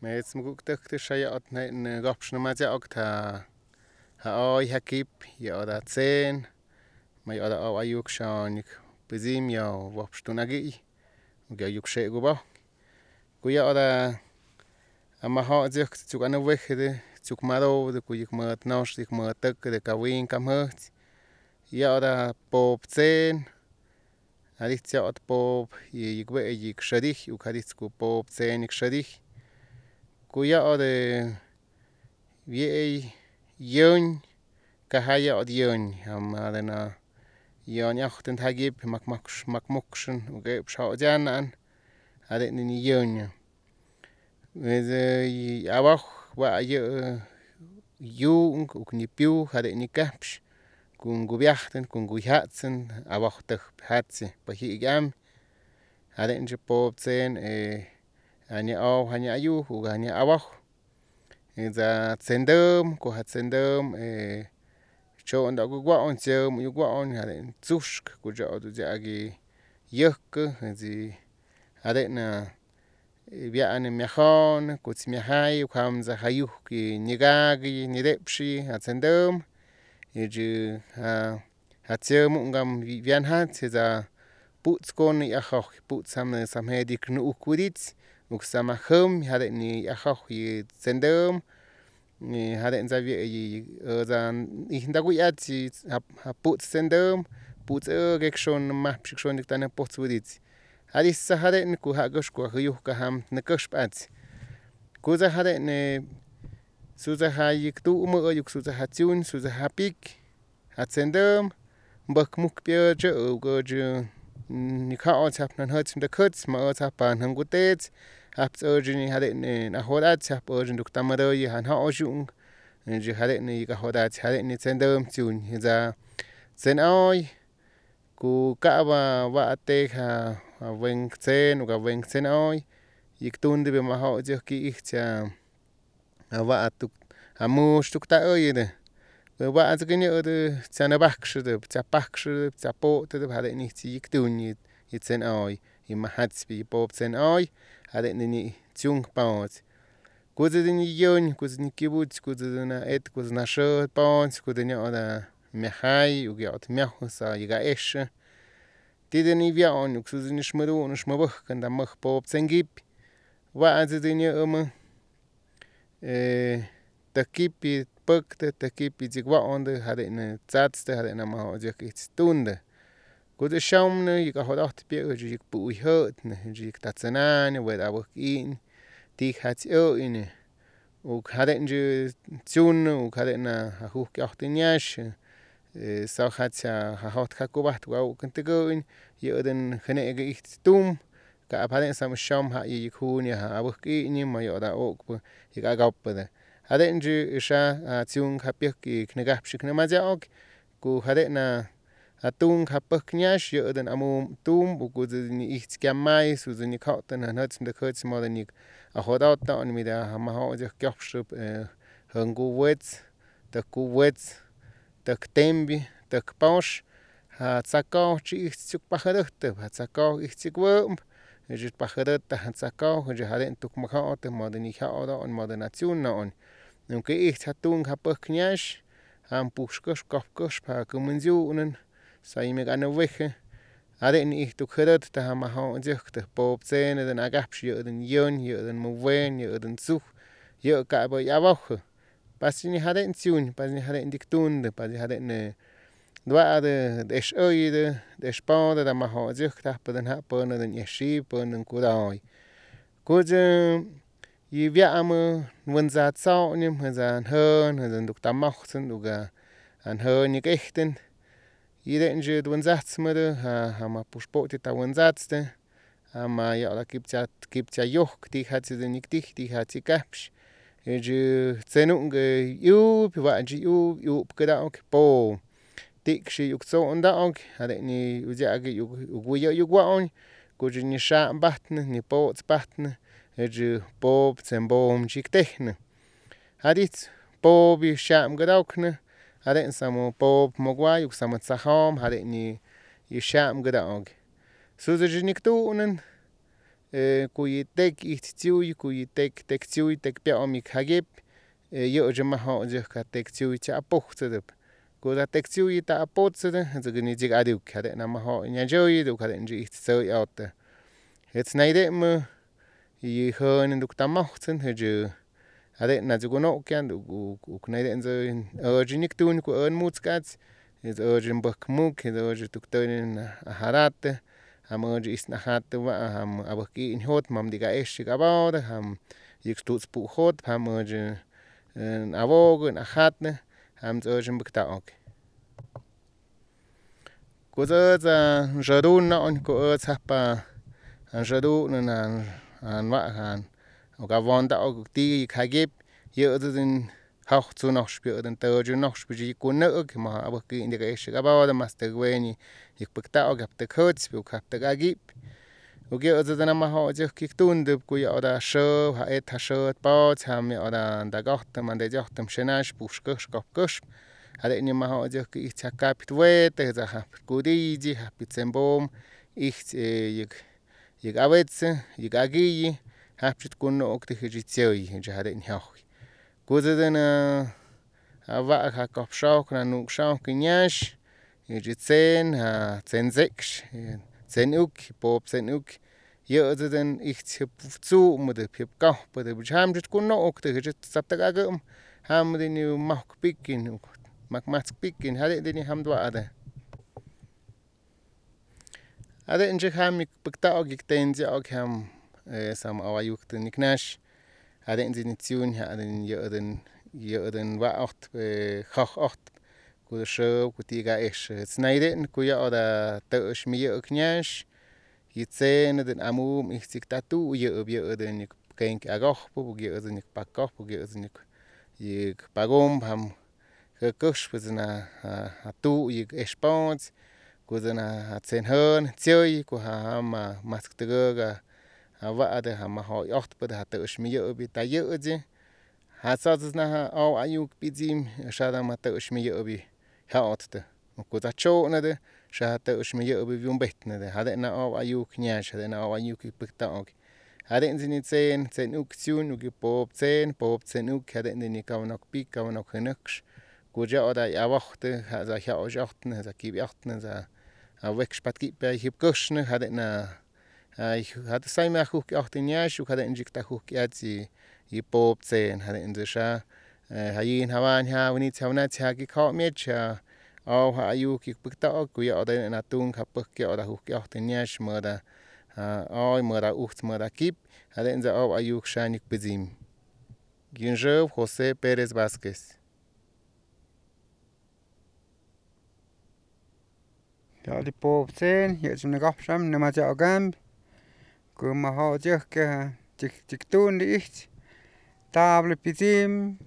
Met muguktuk shayat ne gopshna majaok ha oy hakip ya da tsen ma ya da ayuk shanik bizim ya wopshtunagi ga yuk shegu ba ku ya da ama ha juk tuk ana wegde tuk maro de ku yuk mat nosh dik mat tuk de kawin kamht ya da pop tsen alit ya pop yik we yik shadich u kadit ku pop tsen ik shadich kuya de vie yon kahaya od yon amadena yon yachten hagib makmokschen uge pshajan an ade ni yon we abach wa ye yung uk ni piu ade ni kapsh kun gubiachten kun guhatsen abach tuk hatse pahigam ade nje pop tsen ani au hani ayu ugani abach za tsendum ku hat tsendum chon da gwaon chem yu gwaon hade tsushk ku ja du jagi yuk zi ade na bian mehon ku tsmihai kam za hayu ki nigagi ni repshi hat tsendum ju hat chem ungam vian hat za puts kon ya khokh puts sam hedik nu ukudits uk samahum hade ni akhokh yi tsendum ni hade za vi za ihndagu yatsi ha puts tsendum puts gekshon mahpshik shon dik tan pots wudits hadis sa hade ni ku ha gosh ku hu ka ham ne koshpats ku za hade ne su za ha yik tu mo yuk su za ha tsun su za ha pik ha tsendum mbak muk pye je go je ni ka ot hap nan hot de kuts ma ot hap an hangutets habt urgeni hade ne na hodat hap urgen duk tamaro yi han ha ojung je hade ne ga hodat hade ni tsendum tsun za tsen oy ku ka wa ate ha wen tsen ga wen tsen oy yik tunde be ma ha je ki ich cha wa atuk amush tuk ta oy de wa az gni de tsana baksh de tsapaksh tsapo de hade ni yik tun yi tsen oy i ma hats bi pop tsen oy hade ni tsun paut kuze ni yon kuze ni kibuts kuze na et kuze na sho paut kuze ni ona mehai u gyot mehu sa yiga esh tide ni vion kuze ni shmeru no shmabukh kan da mach pop tsen gip wa az de ni takipi pukte takipi jigwa onde hade ne tsatste hade na ma je stunde kuze shaum ne yiga hodat bi je pu hot ne je tatsanan we da wuk in die hat in u hade nje tsun u hade na hu kyacht nyash sa hat sa hot kakubat wa kuntegoin yoden khane ge ich tum ka hade sam sham ha yi khun ya wuk in ma yoda ok yiga gapde hade nje sha tsun kapik ki knegap shikne ma jaok ku hade na atung hapak nyash yoden amu tum u kuze ni ich kyamai su ni kauten han hat de kurz mal ni a hodat an mit der ma ha je kyapshub hangu wets da ku wets da tembi da paush ha tsaka chi ich tsuk pahadat ha tsaka ich tsuk wom je pahadat ha tsaka je haren tuk ma ha ot ma de ni ha ot an ma de nation on nunke ich hatung hapak nyash ham pushkosh kopkosh pa kumunjunen sai me gana weche hade ni ich tu khadat ta ma ha juk de pop tsen den agapsh yoden yon yoden mo wen yoden such yo ka ba ya bach pas ni hade tsun pas ni hade diktun de pas hade ne dwa de es oy de spade da ma ha juk ta pa den ha pa den yeshi pa den kudai kuje yi via am wonza tsau nim hazan hön hazan duk ta machten uga an hön ni echten Ide nje dwenzats mede ha ma pushpoti ta wenzatste ama ya la kipcha yok ti hat ze nik ti hat kapsh je tsenung yu wa ji yu keda ok po tik shi yuk so onda ok hade ni uja ge yu yu gwaon ko je ni sha batne ni po batne je po tsembom chik techne hadit po bi sham gedaukne hade samo pop mogwa yuk samo tsahom hade ni yisham gedaog su ze niktunen cuy tec ijtziuy, cuy tec tziuy, tec pia'om ic jagip, yʉdʉ majʉ ca tec tziuy chapujtzʉtʉp cu ca tec tziuy taputzʉtʉ tzʉcʉ yeg adiuc jadʉn majʉ ñachʉyʉ jadʉn itz tzʉʉy aʉtʉ jetz naydemʉ y jʉʉn tuctamajtzʉn jadʉn nachucunʉquean uc naydemʉ ʉchi nictuñ cu ʉn mutzcach ʉchi bʉc muc ʉchi tuc tʉnin ajaratʉ jam ʉchi is ajatʉwam jam abʉjqui'in jʉt mam teg aexhʉ abaʉdʉ jam yʉg tutz puj jʉt jam ʉchi ʉn awʉgʉ ʉn ajatʉ jam ʉchi ʉn pʉctaʉque cuch ʉd nsʉdunʉ cu ʉd jajpa jan sʉdunʉ jan wa ca wʉndaʉ tiʉ yʉg jagip yʉʉd ʉd jajchu nʉcspa yʉʉd ʉn tʉchu nʉcspa yʉ cunʉʉc mʉ abʉjqui'in teg exhʉ abaʉdʉ mas tʉk weni yʉg pʉctaʉque jap tʉk jʉchpa uk jap tʉk agip uk yʉʉd ʉd namajʉ yʉg tundʉp cuy yaʉda shʉʉb ja et ja shʉʉd pʉʉch jam yaʉda tag ʉjtʉm ʉn ʉjtʉm shʉnash pux cʉjx cʉp cʉxp jadʉn yʉmajʉ itz ja capit wete japit cudichi japit cembom itz yʉg awechʉ yʉg aguiyi japchit cunʉʉctʉ jʉchi tzʉyi jadʉn jʉjʉy cuch ʉd awag ja cʉp shʉjk ja nuuc shʉjk hʉy ñash yʉchi tzen ja tzen checsh tzen uqui poop tzen uqui yʉʉd ʉd itz jʉp tzumʉtʉp jʉp cajpʉtʉp jamchit cunʉʉctʉ tzap tʉk agʉm jam dini majk piquin macmatzc piquin jadʉn dini jam wa'atʉ jadʉn chʉc jam yʉg pʉctaʉque yʉg tenchaʉque jam sam awayuctʉ nic nash jadʉn dini tziuñ yʉʉd ʉn waʉjtp jʉj ʉjtp cu shʉʉb cu tiʉ caexhʉ jetz naydʉn cuy yaʉda tʉʉshmi yʉʉg ñash y tzen ʉd ʉn amum itz yʉg tatu'u yʉʉd ʉn yʉg quenque agʉjpʉ yʉʉd ʉn yʉg pacʉjpʉ yʉʉd ʉn yʉg pagum jam cʉcʉjpʉ ja tu'u yʉg expʉʉch cu ja tzen jʉn tzʉyi cu jam matzc tʉgʉk awa'atʉ ja majʉ ʉjtpʉtʉ ja tʉʉshmi yʉʉbi ta yʉchi ja tzachʉch naj ʉʉ ayuc pichim shadam ja tʉʉshmi yʉʉbi jʉʉtʉ cu ja chʉnʉtʉ sha ja tʉʉshmi yʉʉbi yumbetnʉtʉ jadʉn ʉʉ ayuc ñash jadʉn ʉʉ ayuc hʉy pʉctaʉque jadʉn dini tzen uqui tziuñ uqui poop tzen uqui jadʉn dini cawanʉc pic cawanʉc jʉnʉcsh cuch yaʉda hʉy awʉjtʉ ja jyaʉsh ʉjtnʉ ja quip ʉjtnʉ ja wekspatz quipʉ jayjʉb cʉsnʉ jadʉn saymʉ ajujqui ʉjtʉ hʉy ñash jadʉn chic tag jujqui achi y poop tzen jadʉn sha jayin jawayn jawʉnitzi jawnachi ja quic jʉb mech ʉʉ ja ayuc yʉg pʉctaʉque cuy yaʉda ʉn atuŋ ja pʉjk yaʉda jujqui ʉjtʉ hʉy ñash mʉdʉ ja ʉʉy mʉdʉ ujtz mʉdʉ quip jadʉn ʉʉ ayuc sha nic pʉchim yʉnshʉb Jose Perez Vasquez yaʉli poop tzen yʉch nʉgajpsam nʉmachaʉcampy cu majʉ yʉjque chik tundʉ itz tabla pichim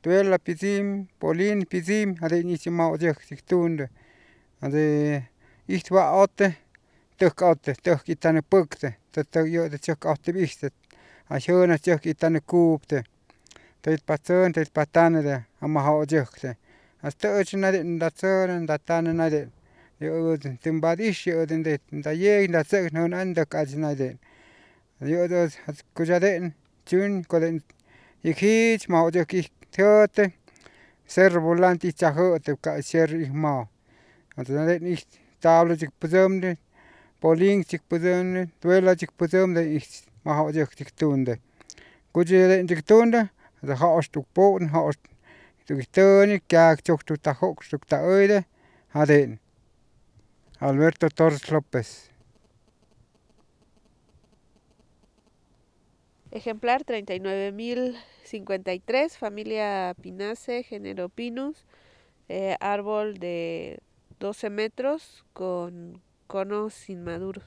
tuela pichim polin pichim jadʉn itz ye majʉ yʉjque chik tundʉ itz wa ʉte tʉk ʉte tʉk itanʉ pʉctʉ yʉʉ tzʉc ʉtep itʉ ja jʉn tzʉc itanʉ cuptʉ tʉypa tzʉn tʉypa tanʉ ja majʉ yʉjkʉ as tʉʉchi naydʉn nda tzʉnʉ nda tanʉ naydʉn yʉʉd tʉmbad ish yʉʉd nda yec nda tzʉc jʉn an ndʉk achi naydʉn yʉʉd cuch jadʉn chiuñ cadʉn yʉg jich majʉ yʉjque ij jʉʉtʉ cerro volante ij chajʉʉtʉp cap cerro ij mʉjʉ jadʉn ij tabla chik pʉchʉmnʉ polin chik pʉchʉmnʉ tuela chik pʉchʉmnʉ itz majʉ yʉjque chik tundʉ cuchi jadʉn chik tundʉ jʉʉstuk pun jʉʉstuk hʉy tʉni quequi tzujtzʉ ta jʉcstuk ta hʉydʉ jadʉn Alberto Torres López. Ejemplar 39.053, familia Pinaceae, género Pinus, árbol de 12 metros con conos inmaduros.